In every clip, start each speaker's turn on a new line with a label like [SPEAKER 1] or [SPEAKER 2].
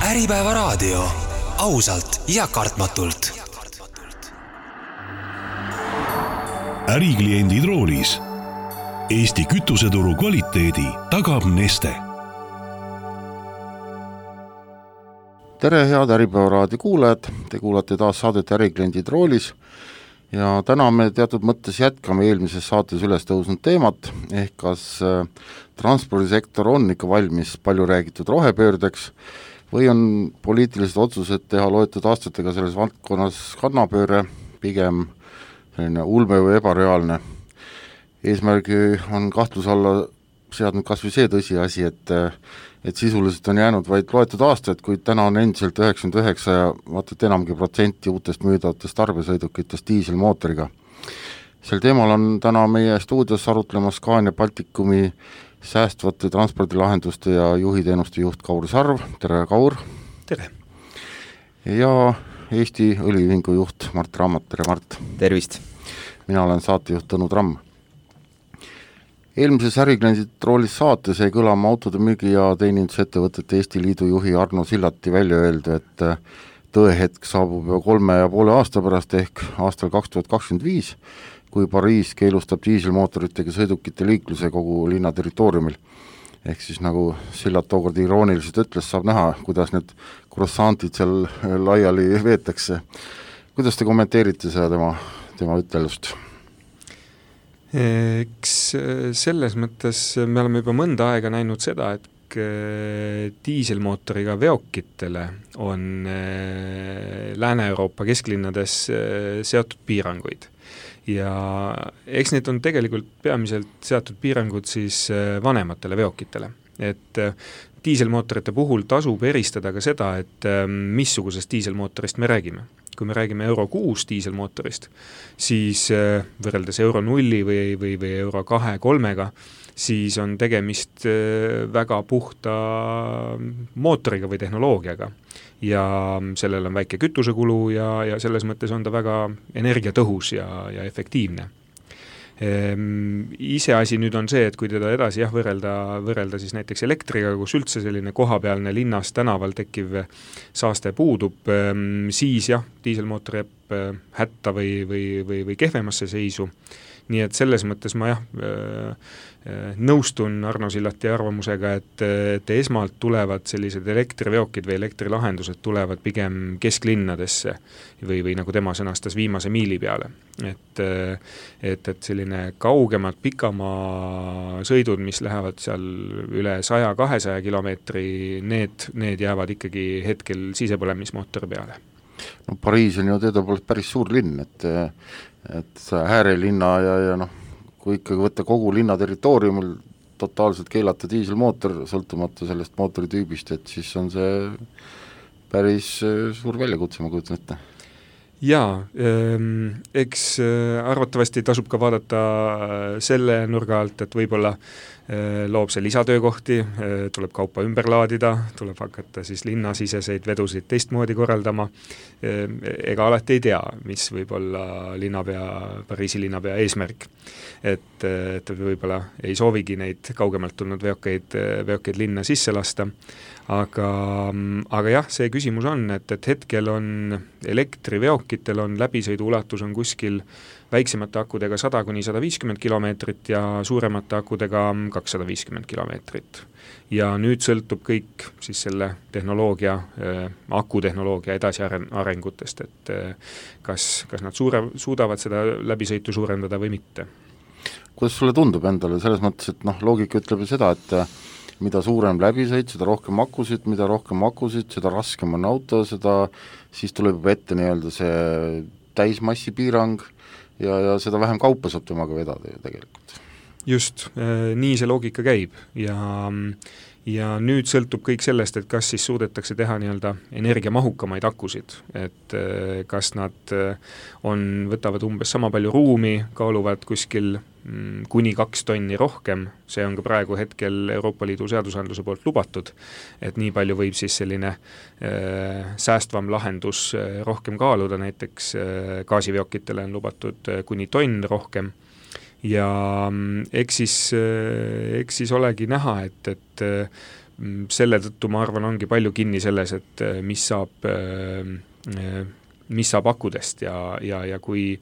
[SPEAKER 1] Äripäeva raadio. Ausalt ja kartmatult.
[SPEAKER 2] Ärikliendid roolis. Eesti kütuseturu kvaliteedi tagab Neste.
[SPEAKER 3] Tere, head Äripäeva raadio kuulajad. Te kuulate taas saadet Ärikliendid roolis. Ja täna me teatud mõttes jätkame eelmises saates üles tõusnud teemat, ehk kas transpordisektor on ikka valmis palju räägitud rohepöördeks või on poliitilised otsused teha loetud aastatega selles valdkonnas kannapööre pigem selline ulme või ebareaalne. Eesmärgi on kahtluse alla seadnud kas või see tõsiasi, et sisuliselt on jäänud vaid loetud aastad, kuid täna on endiselt 99 ja vaatad enamgi protsenti uutest müüdavatest tarbesõidukitest diiselmootoriga. Sel teemal on täna meie stuudios arutlemas Scania Balticumi säästvate transpordilahenduste ja juhiteenuste juht Kaur Sarv. Tere, Kaur!
[SPEAKER 4] Tere!
[SPEAKER 3] Ja Eesti Õliühingu juht Mart Rammat. Tere, Mart!
[SPEAKER 4] Tervist!
[SPEAKER 3] Mina olen saatejuht Tõnu Tramm. Eelmises Ärikliendid roolis saates jäi kõlama autode müügi- ja teenindusettevõtete Eesti Liidu juhi Arno Sillati välja öelda, et tõehetk saabub juba 3,5 aasta pärast ehk aastal 2025, kui Pariis keelustab diiselmootoritega sõidukite liikluse kogu linna territooriumil. Ehk siis nagu Sillat tookord irooniliselt ütles, saab näha, kuidas need croissantid seal laiali veetakse. Kuidas te kommenteerite seda tema ütelust?
[SPEAKER 4] Eks selles mõttes me oleme juba mõnda aega näinud seda, et diiselmootoriga veokitele on Lääne-Euroopa kesklinnades seatud piiranguid. Ja eks need on tegelikult peamiselt seatud piirangud siis vanematele veokitele. Et diiselmootorite puhul tasub eristada ka seda, et missugusest diiselmootorist me räägime. Kui me räägime Euro 6 diiselmootorist, siis võrreldes Euro 0 või Euro 2-3-ga, siis on tegemist väga puhta mootoriga või tehnoloogiaga. Ja sellel on väike kütusekulu ja selles mõttes on ta väga energiatõhus ja efektiivne. Iseasi nüüd on see, et kui teda edasi võrrelda siis näiteks elektriga, kus üldse selline kohapealne linnas tänaval tekkiv saaste puudub, siis diiselmootor jääb hätta või kehvemasse seisu. Nii et selles mõttes ma nõustun Arno Sillati arvamusega, et esmalt tulevad sellised elektriveokid või elektrilahendused tulevad pigem kesklinnadesse või nagu tema sõnastas viimase miili peale. Et selline kaugemad pikamaa sõidud, mis lähevad seal üle 100-200 kilomeetri, need jäävad ikkagi hetkel sisepõlemismootori peale.
[SPEAKER 3] No Pariis on ju teadupoolest päris suur linn, et äärelinna ja kui ikkagi võtta kogu linna territooriumil totaalselt keelata diiselmootor, sõltumata sellest mootoritüübist, et siis on see päris suur väljakutse, ma kujutan ette. Jaa,
[SPEAKER 4] eks arvatavasti tasub ka vaadata selle nurga alt, et võib-olla loob see lisatöökohti, tuleb kaupa ümber laadida, tuleb hakata siis linnasiseseid vedusid teistmoodi korraldama. Ega alati ei tea, mis võib olla Pariisi linnapea eesmärk. Et võib-olla ei soovigi neid kaugemalt tulnud veokeid linna sisse lasta. Aga jah, see küsimus on, et hetkel on elektriveokitel on läbisõidu ulatus on kuskil väiksemate akudega 100-150 kilomeetrit ja suuremate akudega 250 kilomeetrit. Ja nüüd sõltub kõik siis selle akutehnoloogia edasi arengutest, et kas nad suudavad seda läbisõitu suurendada või mitte.
[SPEAKER 3] Kuidas sulle tundub endale selles mõttes, et loogika ütleb ju seda, et mida suurem läbisõit, seda rohkem akusid, seda raskem on auto, siis tuleb ette nii-öelda see täismassi piirang ja seda vähem kaupa saab temaga vedada ju tegelikult.
[SPEAKER 4] Just, nii see loogika käib ja nüüd sõltub kõik sellest, et kas siis suudetakse teha nii-öelda energiamahukamaid akusid, et kas nad võtavad umbes sama palju ruumi, kaaluvad kuskil kuni 2 tonni rohkem, see on ka praegu hetkel Euroopa Liidu seadusandluse poolt lubatud, et nii palju võib siis selline säästvam lahendus rohkem kaaluda, näiteks gaasiveokitele on lubatud kuni tonn rohkem. Ja eks siis olegi näha, et selle tõttu ma arvan, ongi palju kinni selles, et mis saab akudest ja kui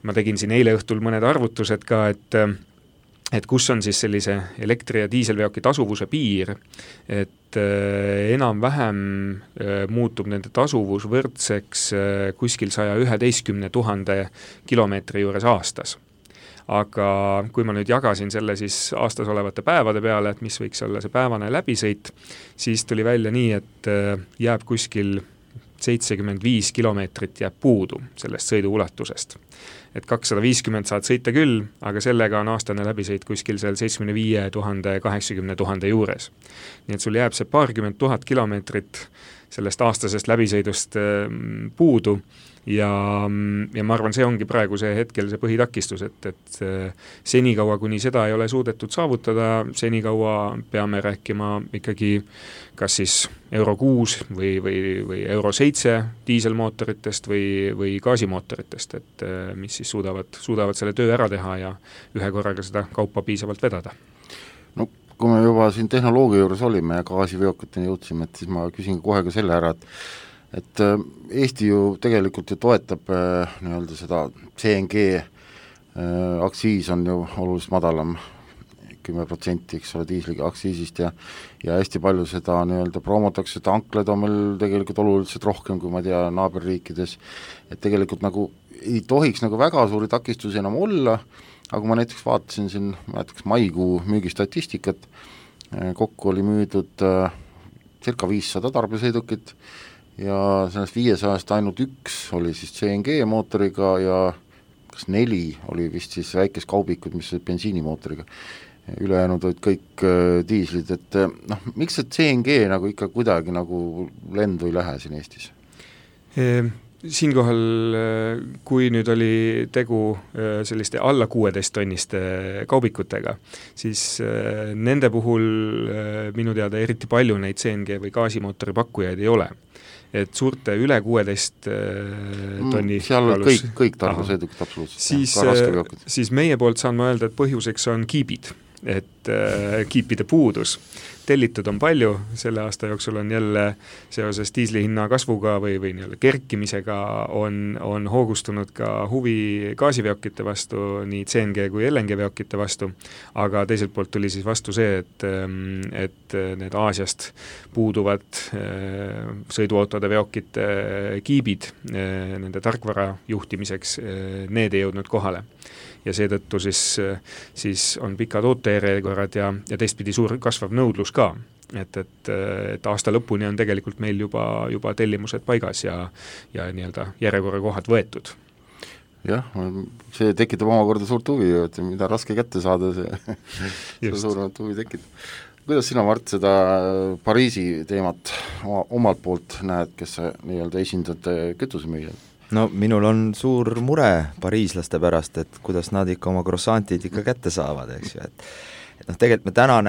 [SPEAKER 4] ma tegin siin eile õhtul mõned arvutused ka, et kus on siis sellise elektri- ja diiselveoki tasuvuse piir, et enam-vähem muutub nende tasuvus võrdseks kuskil 111 000 kilomeetri juures aastas. Aga kui ma nüüd jagasin selle siis aastas olevate päevade peale, et mis võiks olla see päevane läbisõit, siis tuli välja nii, et jääb kuskil 75 kilomeetrit jääb puudu sellest sõidu ulatusest. Et 250 saad sõita küll, aga sellega on aastane läbisõit kuskil seal 75 000, 80 000 juures. Nii et sul jääb see paarkümmend tuhat kilomeetrit sellest aastasest läbisõidust puudu ja ma arvan, see ongi praegu see hetkel see põhitakistus, et senikaua, kuni seda ei ole suudetud saavutada, senikaua peame rääkima ikkagi kas siis Euro 6 või Euro 7 diiselmootoritest või gaasimootoritest, et mis siis suudavad selle töö ära teha ja ühe korraga seda kaupa piisavalt vedada.
[SPEAKER 3] No kui me juba siin tehnoloogia juures olime ja gaasiveokiteni jõudsime, et siis ma küsin kohe ka selle ära, et Eesti ju tegelikult ju toetab nii-öelda seda CNG aktsiis on ju oluliselt madalam, 10%, eks ole, diisli aktsiisist ja hästi palju seda nii-öelda promotakse, tankled on meil tegelikult oluliselt rohkem, kui ma tean, naaberriikides, et tegelikult nagu ei tohiks nagu väga suuri takistusi enam olla, aga kui ma näiteks vaatasin siin maikuu müügistatistikat, kokku oli müüdud circa 500 tarbesõidukit ja sellest 500-st ainult üks oli siis CNG mootoriga ja kas 4 oli vist siis väikest kaubikud, mis olid bensiinimootoriga. Ülejäänud olid kõik diislid, et miks see CNG nagu ikka kuidagi nagu lendu ei lähe siin Eestis?
[SPEAKER 4] Siinkohal, kui nüüd oli tegu selliste alla 16 tonniste kaubikutega, siis nende puhul minu teada eriti palju neid CNG või gaasimootori pakkujaid ei ole. Et suurte üle 16 tonni
[SPEAKER 3] seal on kõik tarbesõidukid absoluutselt.
[SPEAKER 4] Siis meie poolt saan ma öelda, et põhjuseks on kiibid, et kiipide puudus. Tellitud on palju, selle aasta jooksul on jälle seoses diisli hinna kasvuga või kerkimisega on hoogustunud ka huvi gaasiveokite vastu, nii CNG kui LNG veokite vastu, aga teiselt poolt tuli siis vastu see, et need Aasiast puuduvad sõiduautode veokite kiibid nende tarkvara juhtimiseks, need ei jõudnud kohale. Ja seetõttu siis on pikad ootejärjekorrad ja teistpidi suur kasvav nõudlus ka. Et aasta lõpuni on tegelikult meil juba tellimused paigas ja nii-öelda järjekorrakohad võetud.
[SPEAKER 3] Jah, see tekitab omakorda suurt huvi, et mida raske kätte saada, see suuremat huvi tekitab. Kuidas sina, Mart, seda Pariisi teemat omalt poolt näed, kes sa nii-öelda esindad kütusemüüjad?
[SPEAKER 5] No minul on suur mure pariislaste pärast, et kuidas nad ikka oma croissantid ikka kätte saavad, eks ju, et tegelikult me täna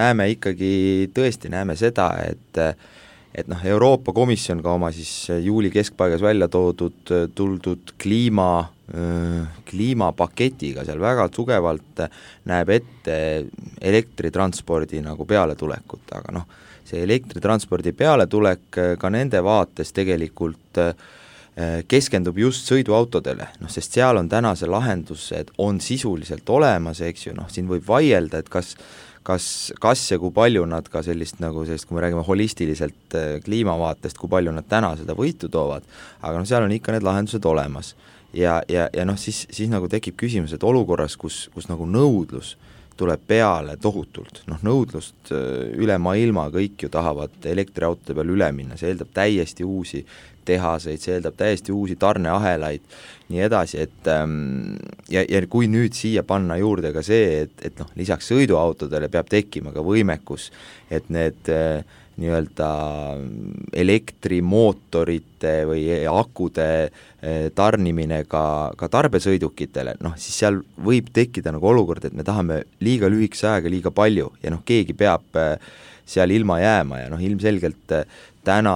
[SPEAKER 5] tõesti näeme seda, et Euroopa Komisjon ka oma siis juuli keskpaigas välja tuldud kliimapaketiga seal väga tugevalt näeb ette elektritranspordi nagu pealetulekut, aga see elektritranspordi pealetulek ka nende vaates tegelikult keskendub just sõiduautodele, sest seal on tänase lahendused on sisuliselt olemas, eks ju, siin võib vaielda, et kas ja kui palju nad ka sellist, kui me räägime holistiliselt kliimavaatest, kui palju nad täna seda võitu toovad, aga seal on ikka need lahendused olemas. Ja siis nagu tekib küsimus, et olukorras, kus nagu nõudlus tuleb peale tohutult, nõudlust üle maailma, kõik ju tahavad elektriautode peal üle minna, see eeldab täiesti uusi tehaseid, see eeldab täiesti uusi tarneahelaid, nii edasi, et ja kui nüüd siia panna juurde ka see, et lisaks sõiduautodele peab tekkima ka võimekus, et need nii-öelda elektrimootorite või akude tarnimine ka tarbesõidukitele, siis seal võib tekkida nagu olukord, et me tahame liiga lühikese ajaga liiga palju ja keegi peab seal ilma jääma ja noh, ilmselgelt täna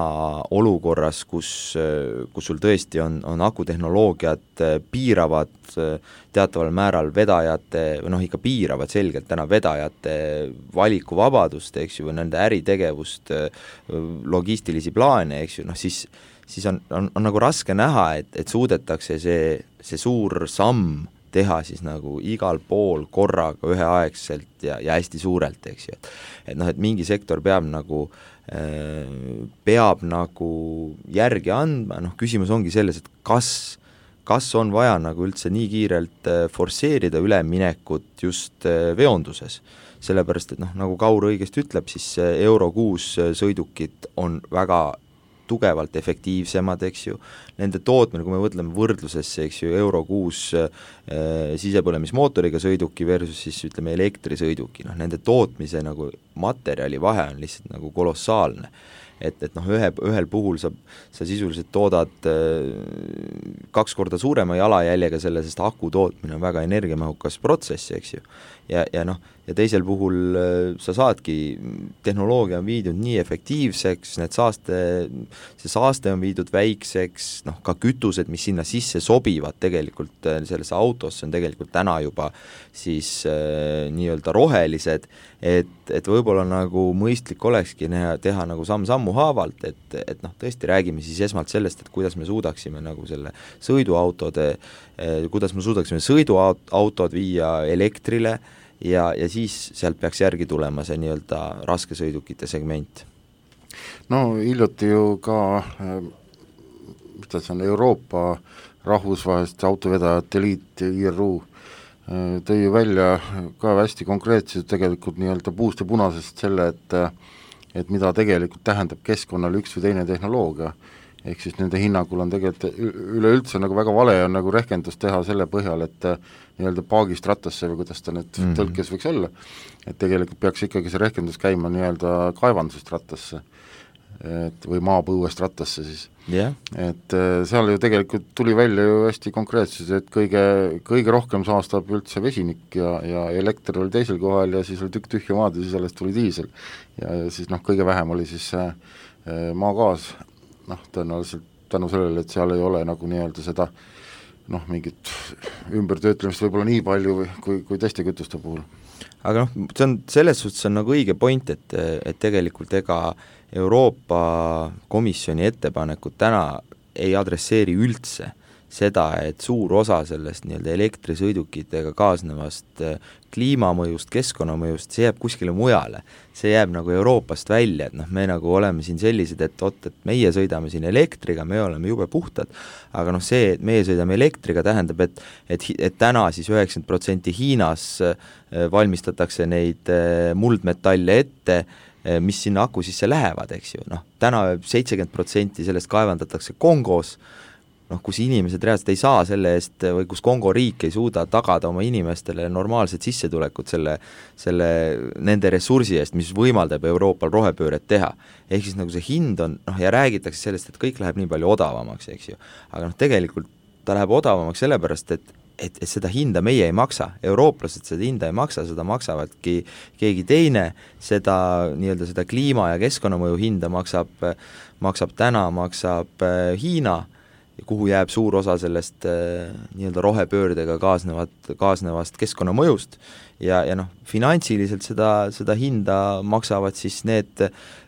[SPEAKER 5] olukorras, kus sul tõesti on akutehnoloogiad piiravad teataval määral vedajate, või noh, ikka piiravad selgelt täna vedajate valikuvabadust, eks ju, või nende äritegevust, logistilisi plaane, eks ju, noh siis on nagu raske näha, et suudetakse see suur samm teha siis nagu igal pool korraga üheaegselt ja hästi suurelt, eks ju, et noh, et mingi sektor peab nagu järgi andma, noh küsimus ongi selles, et kas on vaja nagu üldse nii kiirelt forsseerida üleminekut just veonduses, sellepärast, et noh, nagu Kaur õigesti ütleb, siis Euro 6 sõidukid on väga tugevalt efektiivsemad, eks ju, nende tootmine, kui me võtleme võrdlusesse, eks ju, Euro 6 sisepõlemismootoriga sõiduki versus siis ütleme elektrisõiduki, noh nende tootmise nagu materjali vahe on lihtsalt nagu kolossaalne, et noh, ühel puhul sa sisuliselt toodad 2 korda suurema jalajäljega selle, sest aku tootmine on väga energiamahukas protsess, eks ju, ja noh, ja teisel puhul sa saadki, tehnoloogia on viidud nii efektiivseks, see saaste on viidud väikseks, noh ka kütused, mis sinna sisse sobivad tegelikult sellesse autosse, on tegelikult täna juba siis nii-öelda rohelised, et võib-olla nagu mõistlik olekski teha nagu samm-sammu haavalt, et noh, tõesti räägime siis esmalt sellest, et kuidas me suudaksime nagu selle sõiduautod viia elektrile, ja siis sealt peaks järgi tulema see nii-öelda raskesõidukite segment.
[SPEAKER 3] No hiljuti ju ka mis ta see on, Euroopa rahvusvaheliste autovedajate liit IRU tõi ju välja ka hästi konkreetselt tegelikult nii-öelda puust ja punasest selle, et mida tegelikult tähendab keskkonnale üks või teine tehnoloogia, ehk siis nende hinnangul on tegelikult üleüldse nagu väga vale on nagu rehkendust teha selle põhjal, et nii-öelda paagist rattasse või kuidas ta nüüd tõlkes võiks olla, et tegelikult peaks ikkagi see rehkendus käima nii-öelda kaevandusest rattasse või maapõuest rattasse siis. Et seal ju tegelikult tuli välja ju hästi konkreetselt, et kõige rohkem saastab üldse vesinik ja elekter oli teisel kohal ja siis oli tükk tühja maad ja siis alles tuli diisel ja siis noh, kõige vähem oli siis maagaas, noh tõenäoliselt tänu sellele, et seal ei ole nagu nii-öelda seda noh, mingit ümbertöötlemist võib-olla nii palju kui teiste kütuste puhul.
[SPEAKER 5] Aga noh, see on selles suhtes on nagu õige point, et tegelikult ega Euroopa Komisjoni ettepanekud täna ei adresseeri üldse seda, et suur osa sellest nii-öelda elektrisõidukitega kaasnevast kliimamõjust, keskkonnamõjust, see jääb kuskile mujale. See jääb nagu Euroopast välja, et noh, me nagu oleme siin sellised, et meie sõidame siin elektriga, me oleme jube puhtad, aga noh, see, et meie sõidame elektriga, tähendab, et täna siis 90% Hiinas valmistatakse neid muldmetalle ette, mis sinna aku sisse lähevad, eks ju, noh, täna 70% sellest kaevandatakse Kongos, noh, kus inimesed reaalselt ei saa selle eest või kus Kongo riik ei suuda tagada oma inimestele normaalset sissetulekut nende ressursi eest, mis võimaldab Euroopal rohepööret teha. Ehk siis nagu see hind on, noh, ja räägitakse sellest, et kõik läheb nii palju odavamaks, eks ju. Aga noh, tegelikult ta läheb odavamaks sellepärast, et seda hinda meie ei maksa, eurooplased seda hinda ei maksa, seda maksavadki keegi teine, seda nii-öelda seda kliima- ja keskkonnamõju hinda maksab Hiina, kuhu jääb suur osa sellest nii-öelda rohepöördega kaasnevast keskkonnamõjust ja noh, finantsiliselt seda hinda maksavad siis need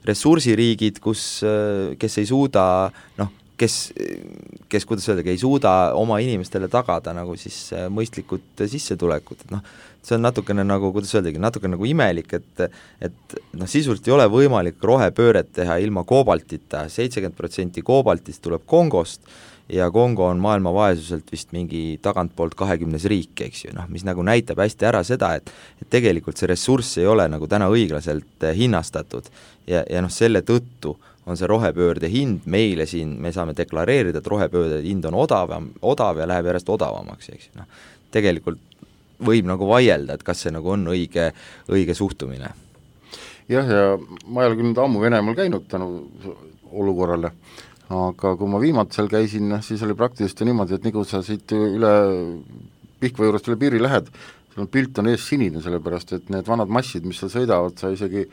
[SPEAKER 5] ressursiriigid, kes ei suuda, noh, kes kuidas öeldagi, ei suuda oma inimestele tagada nagu siis mõistlikud sissetulekut, et noh, see on natukene nagu, kuidas öeldagi, natukene nagu imelik, et noh, sisuliselt ei ole võimalik rohepööret teha ilma koobaltita, 70% koobaltist tuleb Kongost ja Kongo on maailma vaesuselt vist mingi tagantpoolt 20 riik, eks ju, noh, mis nagu näitab hästi ära seda, et tegelikult see ressurss ei ole nagu täna õiglaselt hinnastatud ja noh, selle tõttu on see rohepöörde hind meile siin, me saame deklareerida, et rohepöörde hind on odav ja läheb järjest odavamaks, eks ju, noh, tegelikult võib nagu vaielda, et kas see nagu on õige suhtumine.
[SPEAKER 3] Jah, ja ma ei ole küll nüüd ammu Venemaal käinud tänu olukorrale, aga kui ma viimati seal käisin, siis oli praktiliselt niimoodi, et nagu sa siit üle Pihkva juurest üle piiri lähed, sul on pilt on ees sinine, sellepärast et need vanad massid, mis seal sõidavad, sa isegi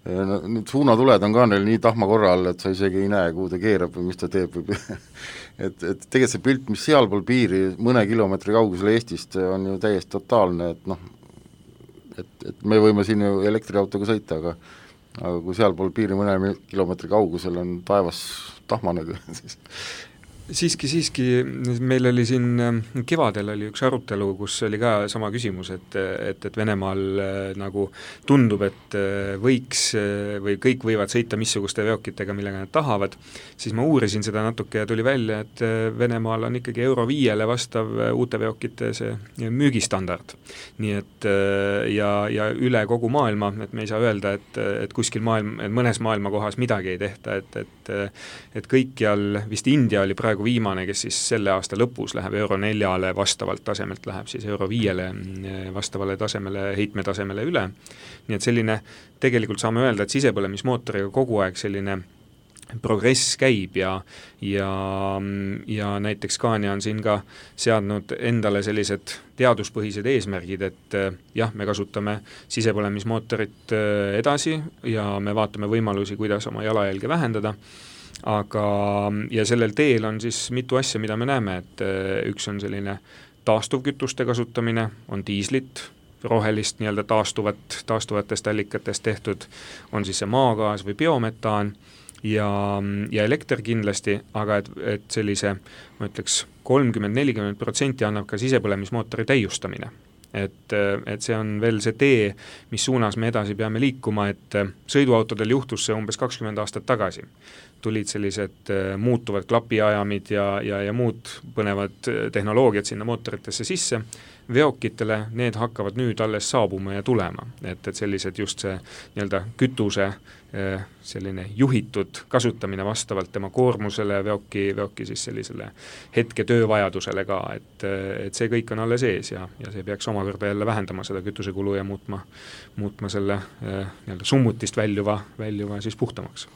[SPEAKER 3] Need suunatuled on ka neil nii tahma korra all, et sa isegi ei näe, kuhu ta keerab või mis ta teeb või et tegelikult see pilt, mis sealpool piiri mõne kilomeetri kaugusel Eestist on ju täiesti totaalne, et noh, et me võime siin ju elektriautoga sõita, aga kui sealpool piiri mõne kilomeetri kaugusel on taevas tahmane, siis
[SPEAKER 4] siiski, meil oli siin kevadel oli üks arutelu, kus oli ka sama küsimus, et Venemaal nagu tundub, et võiks või kõik võivad sõita missuguste veokitega, millega nad tahavad, siis ma uurisin seda natuke ja tuli välja, et Venemaal on ikkagi Euro 5-le vastav uute veokite see müügistandard. Nii et ja üle kogu maailma, et me ei saa öelda, et kuskil et mõnes maailma kohas midagi ei tehta, et kõikjal, vist India oli praegu viimane, kes siis selle aasta lõpus läheb Euro 4-le vastavalt tasemelt, läheb siis Euro 5-le vastavale tasemele, heitmetasemele üle. Nii et selline, tegelikult saame öelda, et sisepõlemismootoriga kogu aeg selline progress käib ja näiteks Scania on siin ka seadnud endale sellised teaduspõhised eesmärgid, et jah, me kasutame sisepõlemismootorit edasi ja me vaatame võimalusi, kuidas oma jalajälge vähendada, ja sellel teel on siis mitu asja, mida me näeme, et üks on selline taastuvkütuste kasutamine, on diislit, rohelist nii-öelda taastuvatest allikatest tehtud, on siis see maagaas või biometaan ja elekter kindlasti, aga et sellise, ma ütleks, 30-40% annab ka sisepõlemismootori täiustamine. Et see on veel see tee, mis suunas me edasi peame liikuma, et sõiduautodel juhtus see umbes 20 aastat tagasi. Tulid sellised muutuvad klapiajamid ja muud põnevad tehnoloogiad sinna mootoritesse sisse. Veokitele need hakkavad nüüd alles saabuma ja tulema, et sellised just see nii-öelda kütuse selline juhitud kasutamine vastavalt tema koormusele, veoki siis sellisele hetke töövajadusele ka, et see kõik on alles ees ja see peaks omakorda jälle vähendama seda kütusekulu ja muutma selle nii-öelda summutist väljuva siis puhtamaks.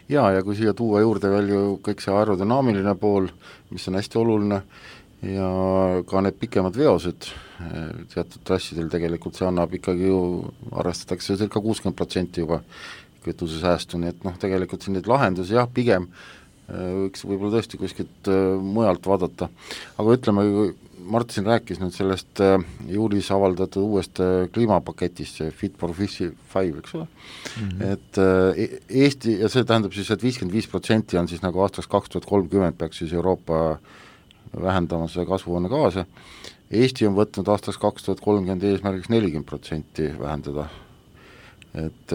[SPEAKER 3] Ja kui siia tuua juurde veel ju kõik see aerodünaamiline pool, mis on hästi oluline, ja ka need pikemad veosed teatud trassidel tegelikult see annab ikkagi ju, arvestatakse circa 60% juba kütusesäästu, nii et noh, tegelikult siin neid lahendusi jah, pigem võiks võib-olla tõesti kuskilt mujalt vaadata, aga ütleme, Mart siin rääkis nüüd sellest juulis avaldatud uuest kliimapaketist, see Fit for 55, eks ole, et Eesti, ja see tähendab siis, et 55% on siis nagu aastaks 2030 peaks siis Euroopa vähendama seda kasvuhoonegaase. Eesti on võtnud aastaks 2030 eesmärgiks 40% vähendada. Et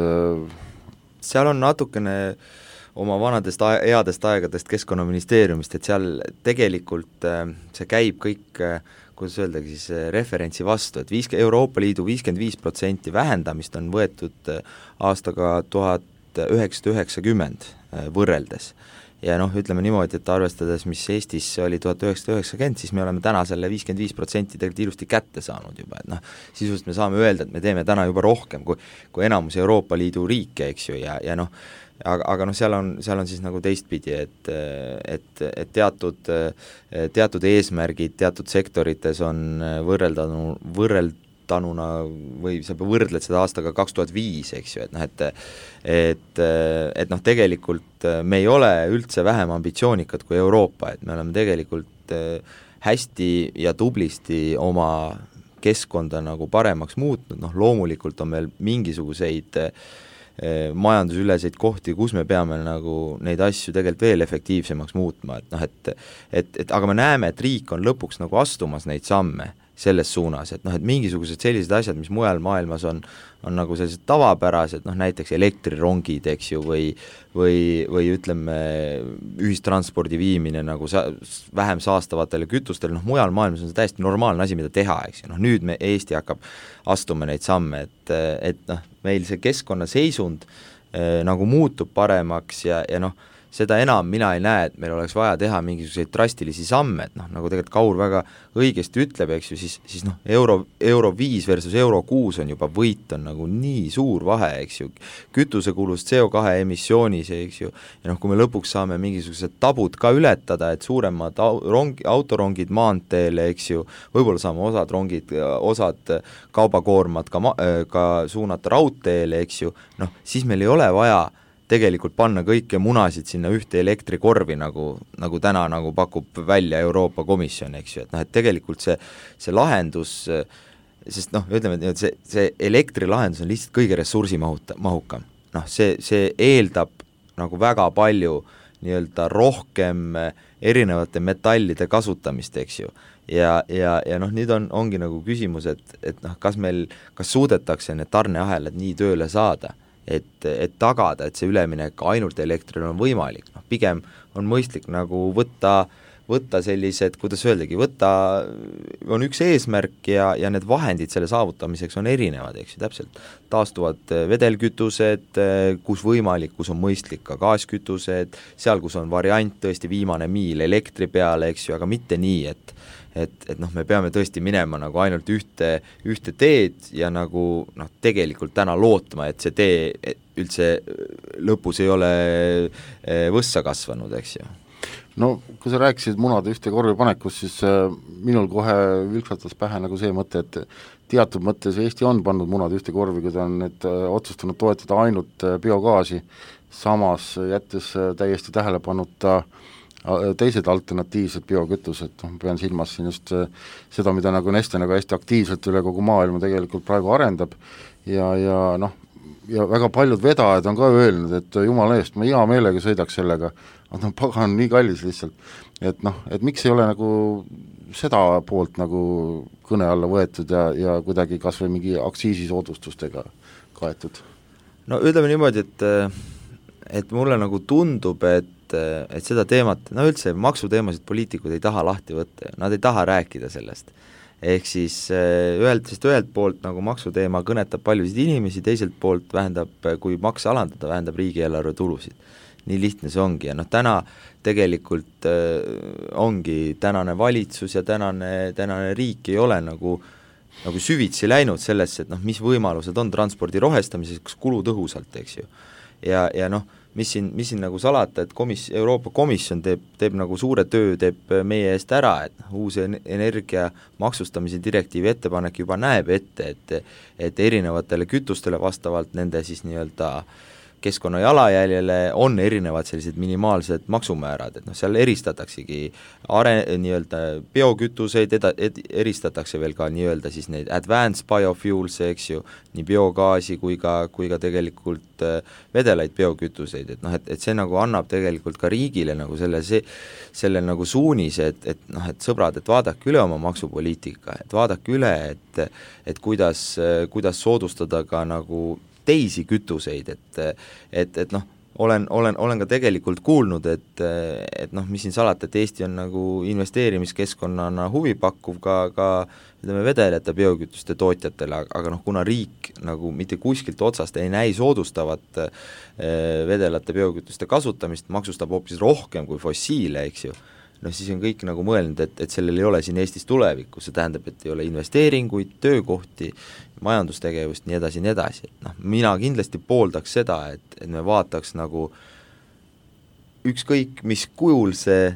[SPEAKER 5] seal on natukene oma vanadest headest aegadest Keskkonnaministeeriumist, et seal tegelikult see käib kõik, kuidas öeldagi siis referentsi vastu, et Euroopa Liidu 55% vähendamist on võetud aastaga 1990 võrreldes. Ja noh, ütleme niimoodi, et arvestades, mis Eestis oli 1990, siis me oleme täna selle 55% tegelikult ilusti kätte saanud juba, et noh, sisuliselt me saame öelda, et me teeme täna juba rohkem kui enamus Euroopa Liidu riike, eks ju, ja noh, aga noh, seal on siis nagu teistpidi, et teatud eesmärgid teatud sektorites on võrreldanuna või sa võrdled seda aastaga 2005, eks ju, et noh, et noh, tegelikult me ei ole üldse vähem ambitsioonikad kui Euroopa, et me oleme tegelikult hästi ja tublisti oma keskkonda nagu paremaks muutnud, noh loomulikult on meil mingisuguseid majandusüleseid kohti, kus me peame nagu neid asju tegelikult veel efektiivsemaks muutma, et noh, et aga me näeme, et riik on lõpuks nagu astumas neid samme selles suunas, et noh, et mingisugused sellised asjad, mis mujal maailmas on nagu sellised tavapärased, noh näiteks elektrirongid, eks ju, või ütleme, ühistranspordi viimine nagu vähem saastavatele kütustele, noh mujal maailmas on see täiesti normaalne asi, mida teha, eks ju, noh nüüd Eesti hakkab astuma neid samme, et noh, meil see keskkonnaseisund nagu muutub paremaks ja noh, seda enam mina ei näe, et meil oleks vaja teha mingisuguseid drastilisi samme, et noh, nagu tegelikult Kaur väga õigesti ütleb, eks ju, siis noh, euro 5 versus euro 6 on juba võit, on nagu nii suur vahe, eks ju, kütusekulust CO2 emissioonis, eks ju, ja noh, kui me lõpuks saame mingisugused tabud ka ületada, et suuremad autorongid maanteele, eks ju, võib-olla saame osad kaubakoormad ka suunata raudteele, eks ju, noh, siis meil ei ole vaja tegelikult panna kõiki munasid sinna ühte elektrikorvi, nagu täna nagu pakub välja Euroopa Komisjon, eks ju, et noh, et tegelikult see lahendus, sest noh, ütleme, et see elektrilahendus on lihtsalt kõige ressursimahukam. Noh, see eeldab nagu väga palju nii-öelda rohkem erinevate metallide kasutamist, eks ju. Ja noh, nüüd ongi nagu küsimus, et noh, kas suudetakse need tarneahelad nii tööle saada, et tagada, et see üleminek ainult elektrile on võimalik, noh pigem on mõistlik nagu võtta sellised, kuidas öeldagi, on üks eesmärk ja need vahendid selle saavutamiseks on erinevad, eks ju, täpselt taastuvad vedelkütused, kus võimalik, kus on mõistlik ka gaaskütused, seal, kus on variant tõesti viimane miil elektri peale, eks ju, aga mitte nii, et noh, me peame tõesti minema nagu ainult ühte teed ja nagu noh, tegelikult täna lootma, et see tee üldse lõpus ei ole võssa kasvanud, eks ju.
[SPEAKER 3] No kui sa rääkisid munade ühte korvi panekust, siis minul kohe vilksatas pähe nagu see mõte, et teatud mõttes Eesti on pannud munade ühte korvi, kui ta on otsustanud toetada ainult biogaasi, samas jättes täiesti tähelepanuta teised alternatiivsed biokütused, ma pean silmas siin just seda, mida nagu Neste nagu hästi aktiivselt üle kogu maailma tegelikult praegu arendab ja noh, ja väga paljud vedajad on ka öelnud, et jumala eest, ma hea meelega sõidaks sellega, aga noh, pagan nii kallis lihtsalt, et noh, et miks ei ole nagu seda poolt nagu kõne alla võetud ja kuidagi kas või mingi aktsiisisoodustustega kaetud?
[SPEAKER 5] No ütleme niimoodi, et mulle nagu tundub, et seda teemat, no üldse maksuteemasid poliitikud ei taha lahti võtta, nad ei taha rääkida sellest. Ehk siis ühelt poolt nagu maksuteema kõnetab paljusid inimesi, teiselt poolt vähendab, kui makse alandada, vähendab riigieelarve tulusid. Nii lihtne see ongi ja noh, täna tegelikult ongi tänane valitsus ja tänane riik ei ole nagu süvitsi läinud sellesse, et noh, mis võimalused on transpordi rohestamiseks kulutõhusalt, eks ju. Ja noh, mis siin nagu salata, et Euroopa Komisjon teeb nagu suure töö, teeb meie eest ära, et uus energia maksustamise direktiivi ettepanek juba näeb ette, et erinevatele kütustele vastavalt nende siis nii-öelda keskkonna jalajäljele on erinevad sellised minimaalsed maksumäärad, et noh, seal eristataksegi nii-öelda biokütuseid, eristatakse veel ka nii-öelda siis neid advanced biofuels, eks ju, nii biogaasi kui ka tegelikult vedelaid biokütuseid, et noh, et see nagu annab tegelikult ka riigile nagu selle nagu suunise, et noh, et sõbrad, et vaadake üle oma maksupoliitika, et vaadake üle, et kuidas soodustada ka nagu teisi kütuseid, et noh, olen ka tegelikult kuulnud, et noh, mis siin salata, et Eesti on nagu investeerimiskeskkonnana huvipakkuv ka ütleme vedelete biokütuste tootjatele, aga noh, kuna riik nagu mitte kuskilt otsast ei näi soodustavat vedelate biokütuste kasutamist, maksustab hoopis rohkem kui fossiile, eks ju, noh siis on kõik nagu mõelnud, et sellel ei ole siin Eestis tulevikku, see tähendab, et ei ole investeeringuid, töökohti, majandustegevust, nii edasi, et noh, mina kindlasti pooldaks seda, et me vaataks nagu ükskõik, mis kujul see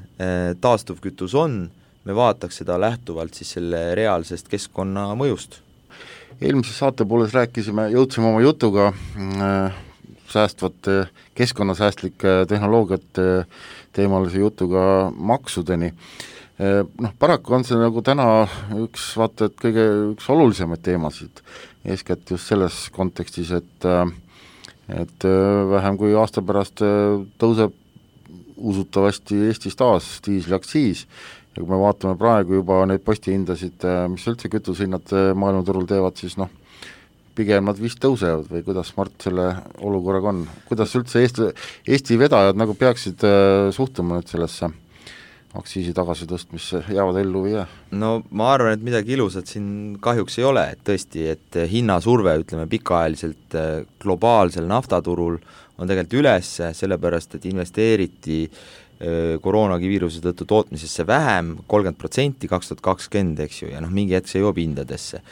[SPEAKER 5] taastuvkütus on, me vaataks seda lähtuvalt siis selle reaalsest keskkonna mõjust.
[SPEAKER 3] Eelmises saate pooles jõudsime oma jutuga säästvate, keskkonnasäästlike tehnoloogiate teemalise jutuga maksudeni. Noh, paraku on see nagu täna üks olulisemaid teemasid, eeskätt just selles kontekstis, et vähem kui aasta pärast tõuseb usutavasti Eestis taas diisliaktsiis ja kui me vaatame praegu juba neid postihindasid, mis üldse kütusehinnad maailmaturul teevad, siis noh, pigem nad vist tõusevad või kuidas Mart selle olukorraga on? Kuidas üldse Eesti vedajad nagu peaksid suhtuma nüüd sellesse aktsiisi tagasi tõstmisse, jäävad ellu või jää?
[SPEAKER 5] No ma arvan, et midagi ilusat siin kahjuks ei ole, et tõesti, et hinnasurve, ütleme pikaajaliselt globaalsel naftaturul on tegelikult üles, sellepärast et investeeriti koroonaviiruse tõttu tootmisesse vähem, 30% 2020, eks ju, ja mingi hetk see jõuab hindadesse.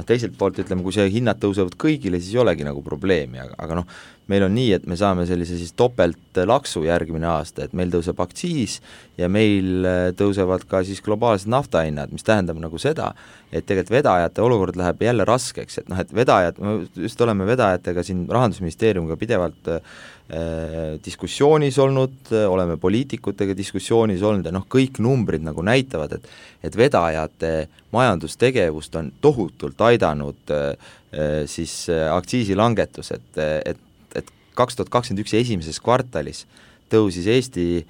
[SPEAKER 5] Teiselt poolt ütleme, kui see hinnad tõusevad kõigile, siis ei olegi nagu probleemi, aga meil on nii, et me saame sellise siis topelt laksu järgmine aasta, et meil tõuseb aktsiis ja meil tõusevad ka siis globaalsed naftahinnad, mis tähendab nagu seda, et tegelikult vedajate olukord läheb jälle raskeks, et vedajad, me just oleme vedajatega siin Rahandusministeeriumiga pidevalt diskussioonis olnud, oleme poliitikutega diskussioonis olnud ja kõik numbrid nagu näitavad, et vedajate majandustegevust on tohutult aidanud siis aktsiisilangetus, et 2021 esimeses kvartalis tõusis Eesti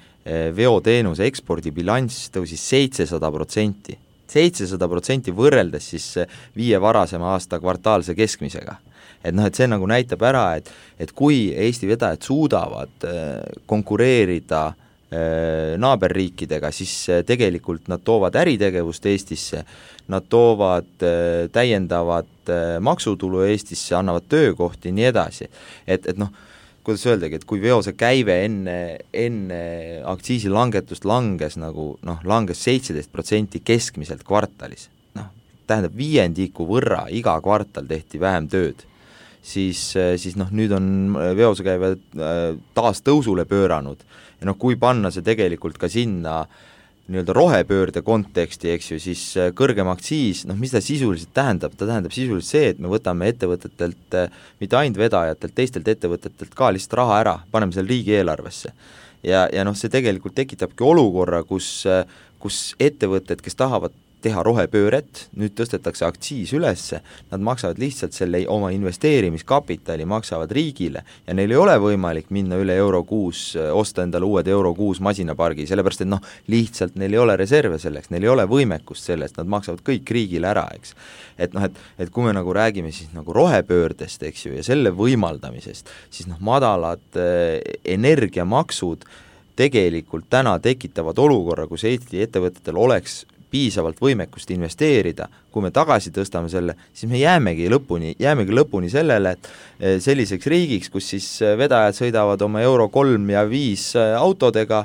[SPEAKER 5] veoteenuse ekspordibilanss tõusis 700%, 700% võrreldes siis 5 varasema aasta kvartaalse keskmisega. Et see nagu näitab ära, et kui Eesti vedajad suudavad konkureerida naaberriikidega, siis tegelikult nad toovad äritegevust Eestisse, nad toovad täiendavat maksutulu Eestisse, annavad töökohti ja nii edasi. Et kuidas öeldagi, et kui veose käive enne aktsiisilangetust langes langes 17% keskmiselt kvartalis, tähendab viiendiku võrra iga kvartal tehti vähem tööd, siis nüüd on veosekäive taas tõusule pööranud ja kui panna see tegelikult ka sinna nii-öelda rohepöörde konteksti, eks ju, siis kõrgem aktsiis, mis ta sisuliselt tähendab? Ta tähendab sisuliselt see, et me võtame ettevõtetelt, mitte ainult vedajatelt, teistelt ettevõtetelt ka lihtsalt raha ära, paneme selle riigieelarvesse. Ja see tegelikult tekitabki olukorra, kus ettevõtted, kes tahavad teha rohepööret, nüüd tõstetakse aktsiis ülesse, nad maksavad lihtsalt selle oma investeerimiskapitali, maksavad riigile ja neil ei ole võimalik minna üle Euro 6, osta endale uued Euro 6 masinapargi, sellepärast et lihtsalt neil ei ole reserve selleks, neil ei ole võimekust sellest, nad maksavad kõik riigile ära, eks. Et kui me nagu räägime siis nagu rohepöördest, eks ju, ja selle võimaldamisest, siis madalad energiamaksud tegelikult täna tekitavad olukorra, kus Eesti ettevõtetel oleks piisavalt võimekust investeerida, kui me tagasi tõstame selle, siis me jäämegi lõpuni sellele, et selliseks riigiks, kus siis vedajad sõidavad oma Euro 3 ja 5 autodega,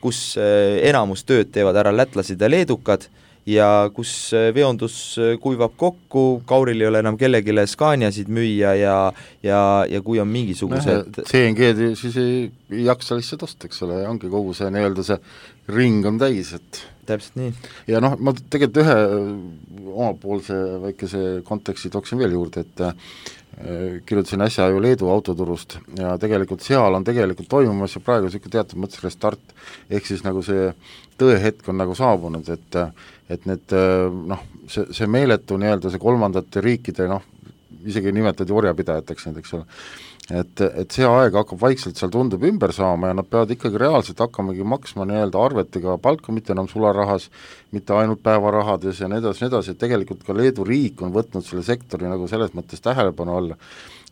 [SPEAKER 5] kus enamus tööd teevad ära lätlased ja leedukad ja kus veondus kuivab kokku, Kauril ei ole enam kellegile Scaniasid müüa ja kui on mingisugused
[SPEAKER 3] CNG-d siis ei jaksa lihtsalt osta, eks ole, ja ongi kogu see nii-öelda see ring on täis, et
[SPEAKER 5] täpselt nii.
[SPEAKER 3] Ja ma tegelikult ühe omapoolse väikese konteksti tooksin veel juurde, et kirjutasin äsja ju Leedu autoturust ja tegelikult seal on tegelikult toimumas ja praegu niisugune teatud mõttes restart, ehk siis nagu see tõehetk on nagu saabunud, et need see meeletu nii-öelda see kolmandate riikide, isegi nimetati orjapidajateks need, eks ole, et see aeg hakkab vaikselt seal tundub ümber saama ja nad peavad ikkagi reaalselt hakkamagi maksma nii-öelda arvetega palka, mitte enam sularahas, mitte ainult päevarahades ja nii edasi, et tegelikult ka Leedu riik on võtnud selle sektori nagu selles mõttes tähelepanu alla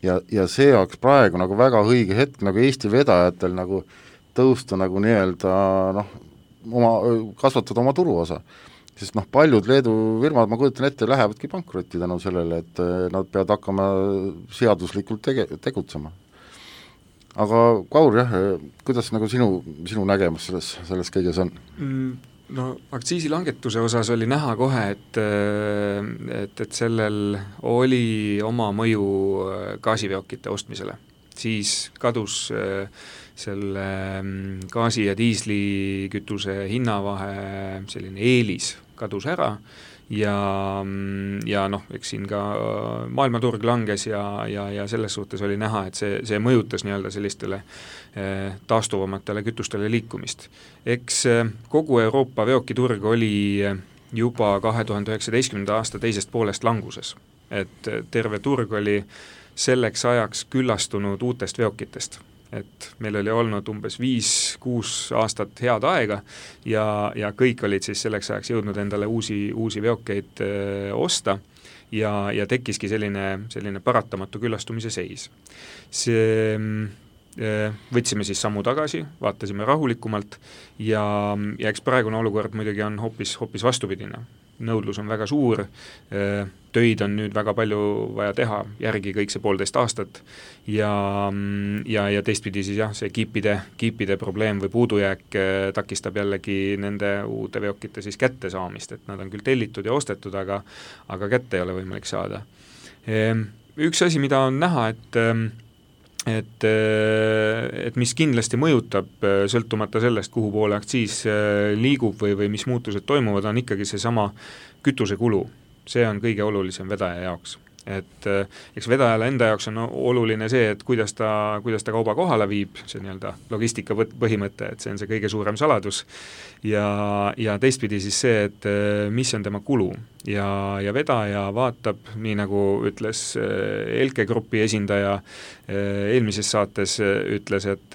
[SPEAKER 3] ja see oleks praegu nagu väga õige hetk nagu Eesti vedajatel nagu tõusta nagu nii-öelda kasvatada oma turuosa. Sest paljud Leedu firmad, ma kujutan ette, lähevadki pankrotti tänu sellele, et nad peavad hakkama seaduslikult tegutsema. Aga Kaur, jah, kuidas nagu sinu nägemus selles kõiges on?
[SPEAKER 4] Aktsiisilangetuse osas oli näha kohe, et sellel oli oma mõju gaasiveokite ostmisele. Siis kadus selle gaasi- ja diislikütuse hinnavahe selline eelis kadus ära ja eks siin ka maailmaturg langes ja selles suhtes oli näha, et see mõjutas nii-öelda sellistele taastuvamatele kütustele liikumist. Eks kogu Euroopa veokiturg oli juba 2019. aasta teisest poolest languses, et terve turg oli selleks ajaks küllastunud uutest veokitest. Et meil oli olnud umbes 5-6 aastat head aega ja kõik olid siis selleks ajaks jõudnud endale uusi veokeid osta ja tekkiski selline paratamatu küllastumise seis. Võtsime siis sammu tagasi, vaatasime rahulikumalt ja eks praegune olukord muidugi on hoopis vastupidine. nõudlus on väga suur, töid on nüüd väga palju vaja teha, järgi kõik see 1,5 aastat ja teistpidi siis jah, see kiipide probleem või puudujääk takistab jällegi nende uute veokite siis kättesaamist, et nad on küll tellitud ja ostetud, aga kätte ei ole võimalik saada. Üks asi, mida on näha, et mis kindlasti mõjutab sõltumata sellest, kuhu poole aktsiis liigub või mis muutused toimuvad, on ikkagi seesama kütusekulu. See on kõige olulisem vedaja jaoks. Et eks vedajale enda jaoks on oluline see, et kuidas ta kauba kohale viib, see nii-öelda logistika põhimõte, et see on see kõige suurem saladus ja teistpidi siis see, et mis on tema kulu ja vedaja vaatab, nii nagu ütles Elke Grupi esindaja eelmises saates ütles, et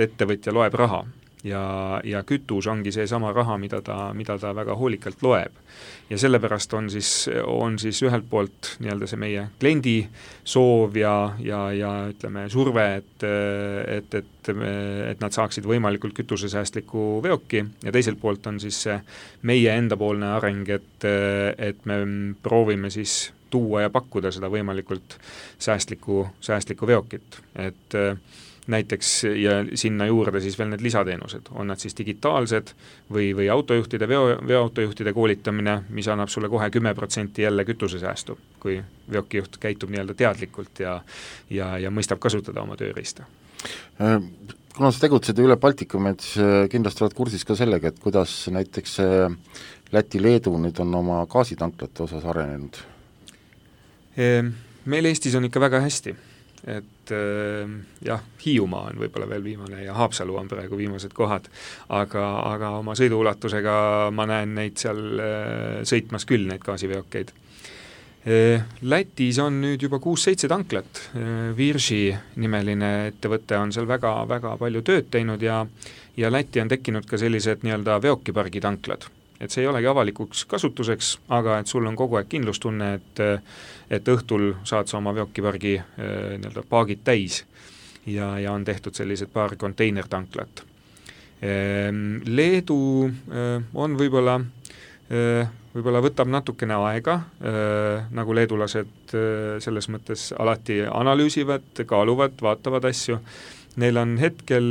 [SPEAKER 4] ettevõtja loeb raha ja kütus ongi see sama raha, mida ta väga hoolikalt loeb. Ja sellepärast on siis ühelt poolt nii-öelda see meie kliendi soov ja ütleme surve, et nad saaksid võimalikult kütusesäästliku veoki ja teiselt poolt on siis see meie endapoolne areng, et me proovime siis tuua ja pakkuda seda võimalikult säästlikku veokit, et näiteks ja sinna juurde siis veel need lisateenused, on nad siis digitaalsed või autojuhtide, veoautojuhtide koolitamine, mis annab sulle kohe 10% jälle kütusesäästu, kui veokijuht käitub nii-öelda teadlikult ja mõistab kasutada oma tööriista.
[SPEAKER 3] Kuna sa tegutsed üle Baltikumi, et kindlasti oled kursis ka sellega, et kuidas näiteks Läti-Leedu nüüd on oma gaasitanklate osas arenenud?
[SPEAKER 4] Meil Eestis on ikka väga hästi. Et jah, Hiiumaa on võib-olla veel viimane ja Haapsalu on praegu viimased kohad, aga oma sõiduulatusega ma näen neid seal sõitmas küll, neid gaasiveokeid. Lätis on nüüd juba 6-7 tanklat, Virši nimeline ettevõte on seal väga palju tööd teinud ja Läti on tekkinud ka sellised nii-öelda veokipargi tanklad. Et see ei olegi avalikuks kasutuseks, aga et sul on kogu aeg kindlustunne, et õhtul saad sa oma veokipargi nii-öelda paagid täis ja on tehtud sellised paar konteinertanklat. Leedu on võib-olla võtab natukene aega, nagu leedulased selles mõttes alati analüüsivad, kaaluvad, vaatavad asju. Neil on hetkel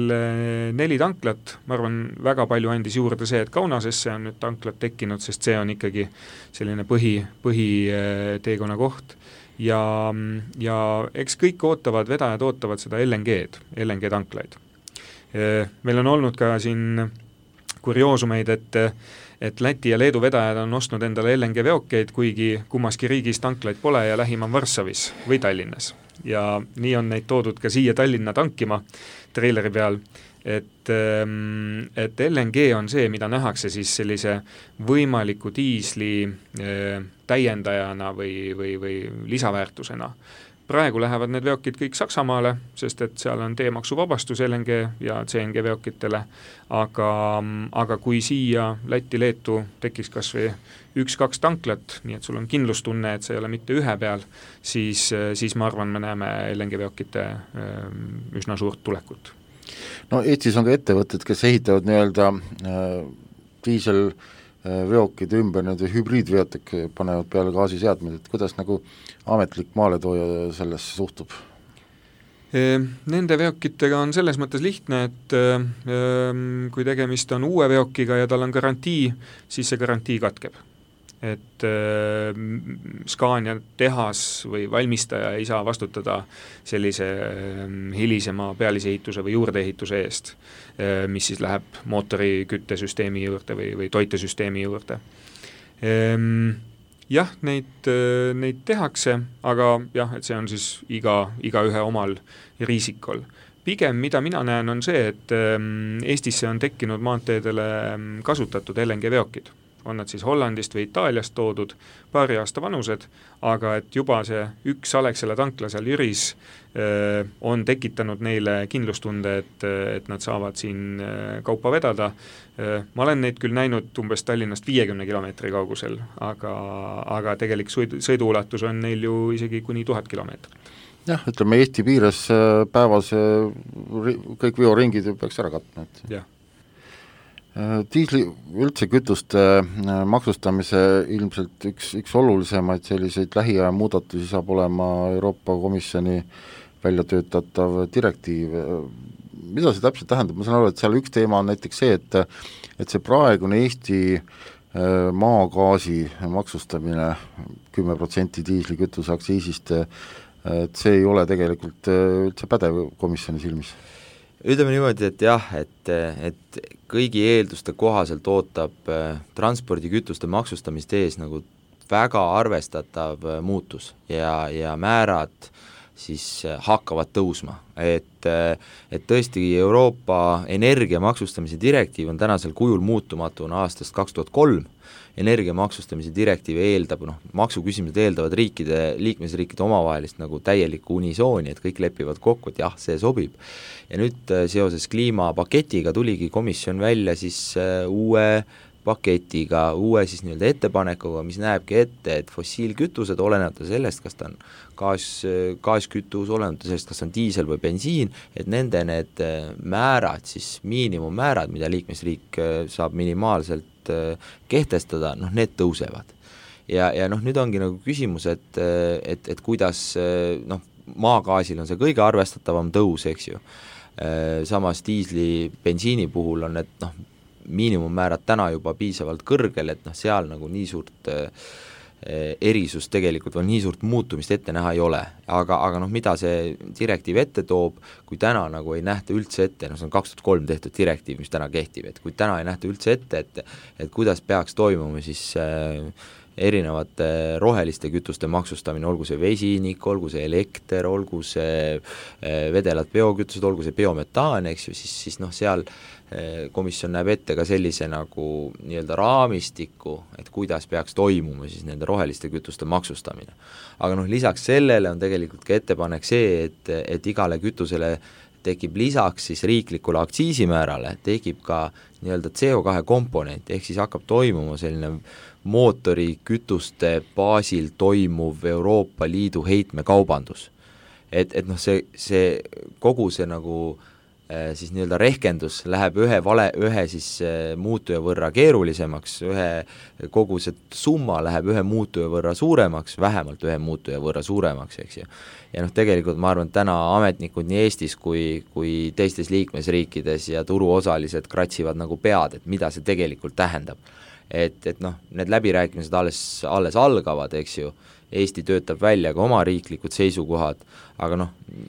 [SPEAKER 4] 4 tanklat, ma arvan, väga palju andis juurde see, et Kaunasesse on nüüd tanklat tekkinud, sest see on ikkagi selline põhiteekonna koht ja eks kõik vedajad ootavad seda LNG tanklaid. Meil on olnud ka siin kurioosumeid, et Läti ja Leedu vedajad on ostnud endale LNG veokeid, kuigi kummaski riigis tanklaid pole ja lähim on Varssavis või Tallinnas. Ja nii on neid toodud ka siia Tallinna tankima treileri peal, et LNG on see, mida nähakse siis sellise võimaliku diisli täiendajana või lisaväärtusena. Praegu lähevad need veokid kõik Saksamaale, sest et seal on teemaksuvabastus LNG ja CNG veokitele, aga kui siia Läti-Leetu tekiks kas või 1-2 tanklat, nii et sul on kindlustunne, et see ei ole mitte ühe peal, siis ma arvan, me näeme LNG veokite üsna suurt tulekut.
[SPEAKER 3] No Eestis on ka ettevõtted, kes ehitavad nii-öelda diiselveokid ümber, need hübriidveotek panevad peale gaasiseadmed, et kuidas nagu ametlik maaletooja sellesse suhtub?
[SPEAKER 4] Nende veokitega on selles mõttes lihtne, et kui tegemist on uue veokiga ja tal on garantii, siis see garantii katkeb. Et Scania tehas või valmistaja ei saa vastutada sellise hilisema pealisehituse või juurdeehituse eest, mis siis läheb mootori küttesüsteemi juurde või toitesüsteemi juurde. Jah, neid tehakse, aga jah, et see on siis igaühe omal riisikol. Pigem, mida mina näen, on see, et Eestisse on tekkinud maanteedele kasutatud LNG veokid. On nad siis Hollandist või Itaaliast toodud, paari aasta vanused, aga et juba see üks Alexela tankla seal Jüris on tekitanud neile kindlustunde, et nad saavad siin kaupa vedada. Ma olen neid küll näinud umbes Tallinnast 50 kilomeetri kaugusel, aga tegelik sõiduulatus on neil ju isegi kuni 1000 kilomeetrit.
[SPEAKER 3] Jah, ütleme Eesti piires päevas kõik veoringid peaks ära katma.
[SPEAKER 4] Jah.
[SPEAKER 3] Diisli üldse kütuste maksustamise ilmselt üks olulisemaid selliseid lähiaja muudatusi saab olema Euroopa Komisjoni välja töötatav direktiiv. Mida see täpselt tähendab? Ma saan aru, et seal üks teema on näiteks see, et see praegune Eesti maagaasi maksustamine 10% diislikütuse aktsiisist, et see ei ole tegelikult üldse pädev komisjoni silmis.
[SPEAKER 5] Ütleme niimoodi, et jah, et kõigi eelduste kohaselt ootab transpordikütuste maksustamist ees nagu väga arvestatav muutus ja määrad siis hakkavad tõusma, et tõesti Euroopa energia maksustamise direktiiv on tänasel kujul muutumatuna aastast 2003, energia maksustamise direktiiv eeldab, maksuküsimused eeldavad liikmesriikide omavahelist nagu täielikku unisooni, et kõik lepivad kokku, et jah, see sobib. Ja nüüd seoses kliimapaketiga tuligi komisjon välja siis uue paketiga, uue siis nii-öelda ettepanekuga, mis näebki ette, et fossiilkütused, olenemata sellest, kas ta on gaaskütus, olenemata sellest, kas on diisel või bensiin, et nende need määrad, siis miinimummäärad, mida liikmesriik saab minimaalselt kehtestada, need tõusevad. Ja nüüd ongi nagu küsimus, et kuidas, maagaasil on see kõige arvestatavam tõus, eks ju. Samas diisli, bensiini puhul on need miinimummäärad täna juba piisavalt kõrgel, et seal nagu nii suurt erisus tegelikult või nii suurt muutumist ette näha ei ole, aga mida see direktiiv ette toob, kui täna nagu ei nähta üldse ette, see on 2003 tehtud direktiiv, mis täna kehtib, et kui täna ei nähta üldse ette, et kuidas peaks toimuma siis erinevate roheliste kütuste maksustamine, olgu see vesinik, olgu see elekter, olgu see vedelad biokütused, olgu see biometaan, eks ju, siis seal komisjon näeb ette ka sellise nagu nii-öelda raamistiku, et kuidas peaks toimuma siis nende roheliste kütuste maksustamine. Aga lisaks sellele on tegelikult ka ettepanek see, et igale kütusele tekib lisaks siis riiklikule aktsiisimäärale, tekib ka nii-öelda CO2 komponent, ehk siis hakkab toimuma selline mootorikütuste baasil toimuv Euroopa Liidu heitmekaubandus. Et see kogu see nagu siis nii-öelda rehkendus läheb ühe siis muutuja võrra keerulisemaks, kogu see summa läheb ühe muutuja võrra suuremaks, vähemalt ühe muutuja võrra suuremaks, eks ju. Ja tegelikult ma arvan, et täna ametnikud nii Eestis kui teistes liikmesriikides ja turuosalised kratsivad nagu pead, et mida see tegelikult tähendab. Et need läbirääkimised alles algavad, eks ju, Eesti töötab välja ka oma riiklikud seisukohad, aga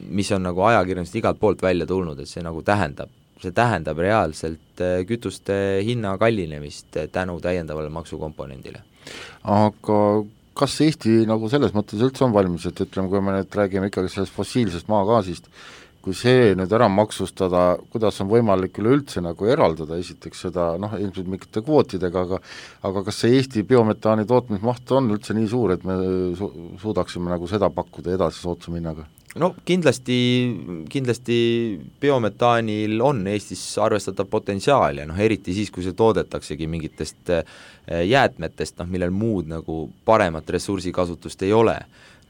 [SPEAKER 5] mis on nagu ajakirjandusest igalt poolt välja tulnud, et see nagu tähendab reaalselt kütuste hinna kallinemist tänu täiendavale maksukomponendile.
[SPEAKER 3] Aga kas Eesti nagu selles mõttes üldse on valmis, et ütleme, kui me nüüd räägime ikkagi sellest fossiilsest maagaasist, kui see nüüd ära maksustada, kuidas on võimalik üleüldse nagu eraldada esiteks seda, ilmselt mingite kvootidega, aga kas see Eesti biometaani tootmismaht on üldse nii suur, et me suudaksime nagu seda pakkuda edasi soodsa hinnaga?
[SPEAKER 5] Kindlasti biometaanil on Eestis arvestatav potentsiaal ja eriti siis, kui see toodetaksegi mingitest jäätmetest, millel muud nagu paremat ressursikasutust ei ole.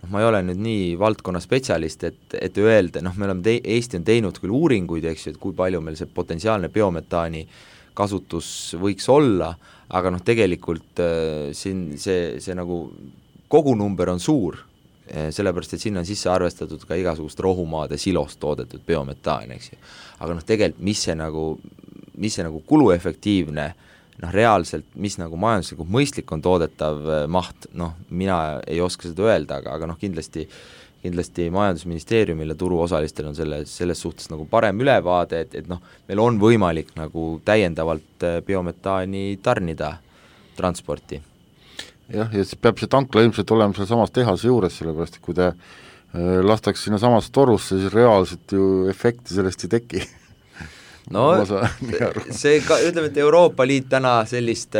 [SPEAKER 5] Ma ei ole nüüd nii valdkonna spetsialist, et öelda, Eesti on teinud küll uuringuid, eks ju, et kui palju meil see potentsiaalne biometaani kasutus võiks olla, aga tegelikult siin see nagu kogunumber on suur, sellepärast, et sinna on sisse arvestatud ka igasugust rohumaade silost toodetud biometaan, eks ju. Aga tegelikult, mis see nagu kuluefektiivne reaalselt, mis nagu majanduslikult mõistlik on toodetav maht, mina ei oska seda öelda, aga kindlasti Majandusministeeriumil ja turuosalistel on selles suhtes nagu parem ülevaade, et meil on võimalik nagu täiendavalt biometaani tarnida transporti.
[SPEAKER 3] Jah, ja siis peab see tankla ilmselt olema seal samas tehase juures, sellepärast, et kui te lastaks sinna samas torusse, siis reaalselt ju efekti sellest ei teki.
[SPEAKER 5] See ka, ütleme, et Euroopa Liit täna sellist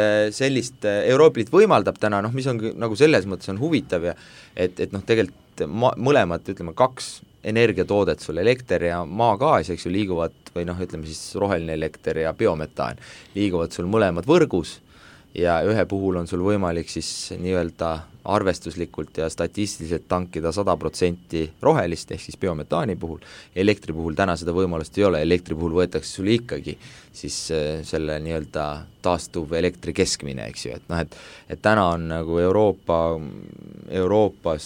[SPEAKER 5] Euroopa Liit võimaldab täna, mis on nagu selles mõttes on huvitav ja et tegelikult mõlemad, ütleme, kaks energiatoodet sul, elekter ja maagaas, eks ju, liiguvad või ütleme siis roheline elekter ja biometaan, liiguvad sul mõlemad võrgus ja ühe puhul on sul võimalik siis nii-öelda arvestuslikult ja statistiliselt tankida 100% rohelist, ehk siis biometaani puhul, elektri puhul täna seda võimalust ei ole, elektri puhul võetakse sulle ikkagi siis selle nii-öelda taastuv elektri keskmine, eks ju, et noh, et täna on nagu Euroopas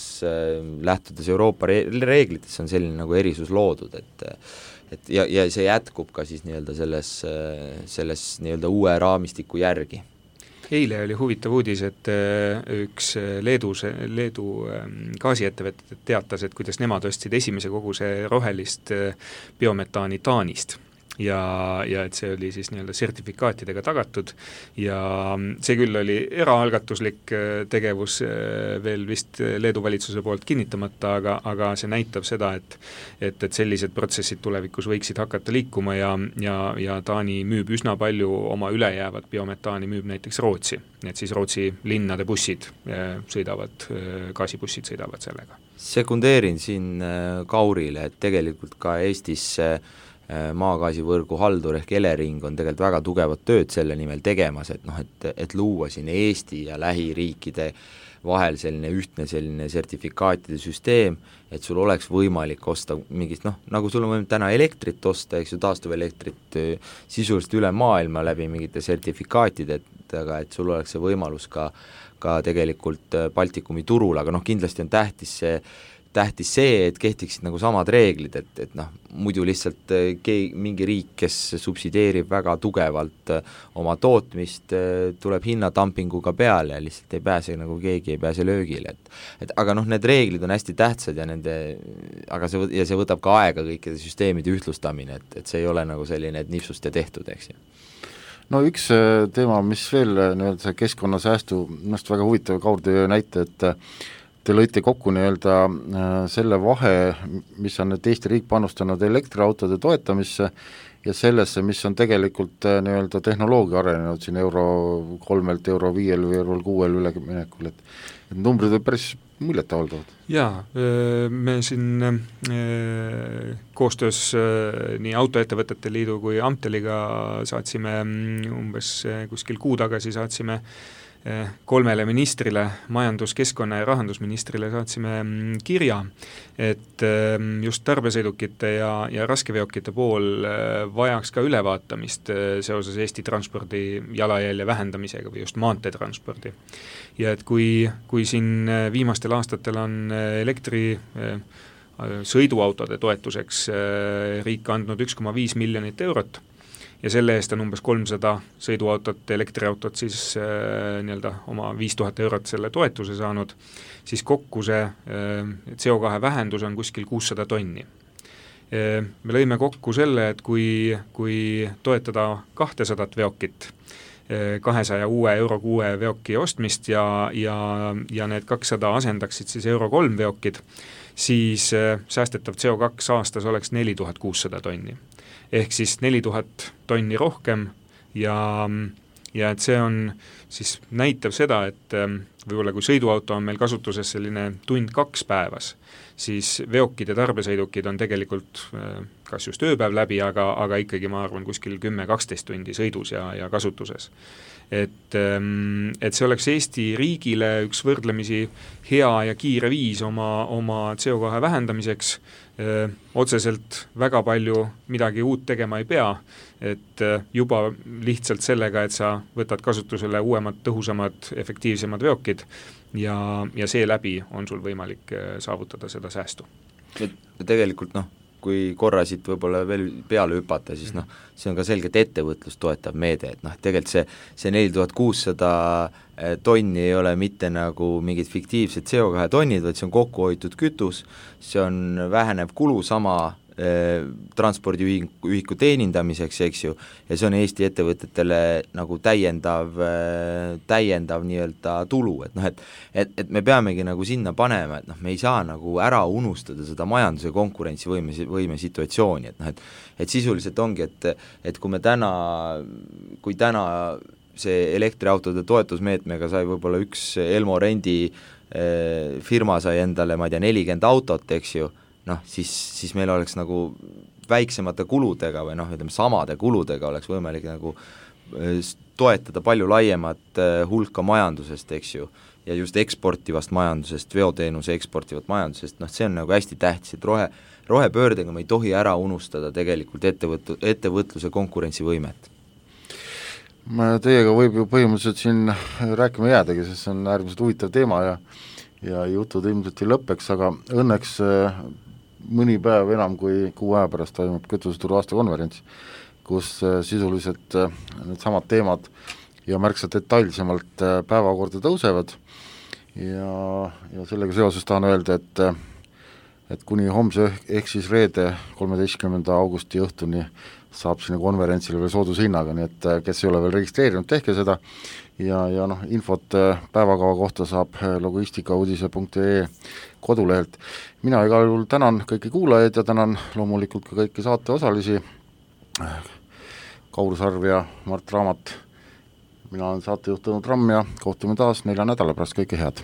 [SPEAKER 5] lähtudes Euroopa reeglitest on selline nagu erisus loodud, et ja see jätkub ka siis nii-öelda selles nii-öelda uue raamistiku järgi.
[SPEAKER 4] Eile oli huvitav uudis, et üks Leedu gaasiettevõtted teatas, et kuidas nemad ostsid esimese koguse rohelist biometaani Taanist ja et see oli siis nii-öelda sertifikaatidega tagatud ja see küll oli eraalgatuslik tegevus veel vist Leedu valitsuse poolt kinnitamata, aga see näitab seda, et sellised protsessid tulevikus võiksid hakata liikuma ja Taani müüb üsna palju oma ülejäävat biometaani, müüb näiteks Rootsi, et siis Rootsi linnade bussid sõidavad, gaasibussid sõidavad sellega.
[SPEAKER 5] Sekundeerin siin Kaurile, et tegelikult ka Eestis maagaasivõrgu haldur ehk Elering on tegelikult väga tugevat tööd selle nimel tegemas, et noh, et luua siin Eesti ja lähiriikide vahel selline ühtne selline sertifikaatide süsteem, et sul oleks võimalik osta mingist, noh, nagu sul on võimalik täna elektrit osta, eks ju, taastuvelektrit sisuliselt üle maailma läbi mingite sertifikaatidega, et sul oleks see võimalus ka tegelikult Baltikumi turul, aga noh, kindlasti on tähtis see, et kehtiksid nagu samad reeglid, et noh, muidu lihtsalt mingi riik, kes subsideerib väga tugevalt oma tootmist, tuleb hinnadumpinguga peale ja lihtsalt ei pääse löögile, et aga noh, need reeglid on hästi tähtsad ja see võtab ka aega kõikide süsteemide ühtlustamine, et see ei ole nagu selline, et nipsust ja tehtud, eks ju.
[SPEAKER 3] No üks teema, mis veel nii-öelda keskkonnasäästu, minu väga huvitav Kaur töö näite, et te lõite kokku nii-öelda selle vahe, mis on nüüd Eesti riik panustanud elektriautode toetamisse ja sellesse, mis on tegelikult nii-öelda tehnoloogia arenenud siin euro 3-lt euro 5 või euro 6 üleminekul, et numbrid on päris muljetavaldavad.
[SPEAKER 4] Jaa, me siin koostöös nii Autoettevõtete Liidu kui Amteliga saatsime umbes kuskil kuu tagasi saatsime 3 ministrile, majandus-, keskkonna- ja rahandusministrile saatsime kirja, et just tarbesõidukite ja raskeveokite pool vajaks ka ülevaatamist seoses Eesti transpordi jalajälje vähendamisega või just maanteetranspordi. Ja et kui siin viimastel aastatel on elektri sõiduautode toetuseks riik andnud 1,5 miljonit eurot, ja selle eest on umbes 300 sõiduautot, elektriautot siis nii-öelda oma 5000 eurot selle toetuse saanud, siis kokku see CO2 vähendus on kuskil 600 tonni. Me lõime kokku selle, et kui toetada 200 veokit, 200 uue euro 6 veoki ostmist ja need 200 asendaksid siis euro 3 veokid, siis säästetav CO2 aastas oleks 4600 tonni. Ehk siis 4000 tonni rohkem ja et see on siis näitab seda, et võib-olla kui sõiduauto on meil kasutuses selline 1-2 päevas, siis veokid ja tarbesõidukid on tegelikult kas just ööpäev läbi, aga ikkagi ma arvan kuskil 10-12 tundi sõidus ja kasutuses. Et see oleks Eesti riigile üks võrdlemisi hea ja kiire viis oma CO2 vähendamiseks, otseselt väga palju midagi uut tegema ei pea, et juba lihtsalt sellega, et sa võtad kasutusele uuemad, tõhusamad, efektiivsemad veokid ja seeläbi on sul võimalik saavutada seda säästu.
[SPEAKER 5] Tegelikult kui korra siit võib-olla veel peale hüpata, siis see on ka selgelt ettevõtlust toetav meede, et tegelikult see 4600 tonni ei ole mitte nagu mingid fiktiivsed CO2 tonnid, vaid see on kokku hoitud kütus, see on vähenev kulu sama transpordiühiku teenindamiseks, eks ju, ja see on Eesti ettevõtetele nagu täiendav nii-öelda tulu, et me peamegi nagu sinna panema, et me ei saa nagu ära unustada seda majanduse konkurentsivõime situatsiooni, et sisuliselt ongi, et kui täna see elektriautode toetusmeetmega sai võib-olla üks Elmo Rendi firma sai endale, ma ei tea, 40 autot, eks ju, siis meil oleks nagu väiksemate kuludega või ütleme samade kuludega oleks võimalik nagu toetada palju laiemat hulka majandusest, eks ju, ja just eksportivast majandusest, veoteenuse eksportivat majandusest, noh see on nagu hästi tähtis, et rohepöördega me ei tohi ära unustada tegelikult ettevõtluse konkurentsivõimet.
[SPEAKER 3] Teiega võib ju põhimõtteliselt siin rääkima jäädagi, sest see on äärmiselt huvitav teema ja jutud ilmselt ei lõppeks, aga õnneks mõni päev enam kui 6 aja pärast toimub kütuseturu aastakonverents, kus sisuliselt need samad teemad ja märksa detailsemalt päevakorda tõusevad ja sellega seoses tahan öelda, et kuni homse ehk siis reede 13. augusti õhtuni saab sinna konverentsile veel soodushinnaga, nii et kes ei ole veel registreerinud, tehke seda ja noh, infot päevakava kohta saab logistikauudise.ee kodulehelt. Mina igal juhul tänan kõiki kuulajaid ja tänan loomulikult ka kõiki saateosalisi, Kaur Sarv ja Mart Raamat. Mina olen saatejuht Tõnu Tramm ja kohtume taas 4 nädala pärast, kõike head!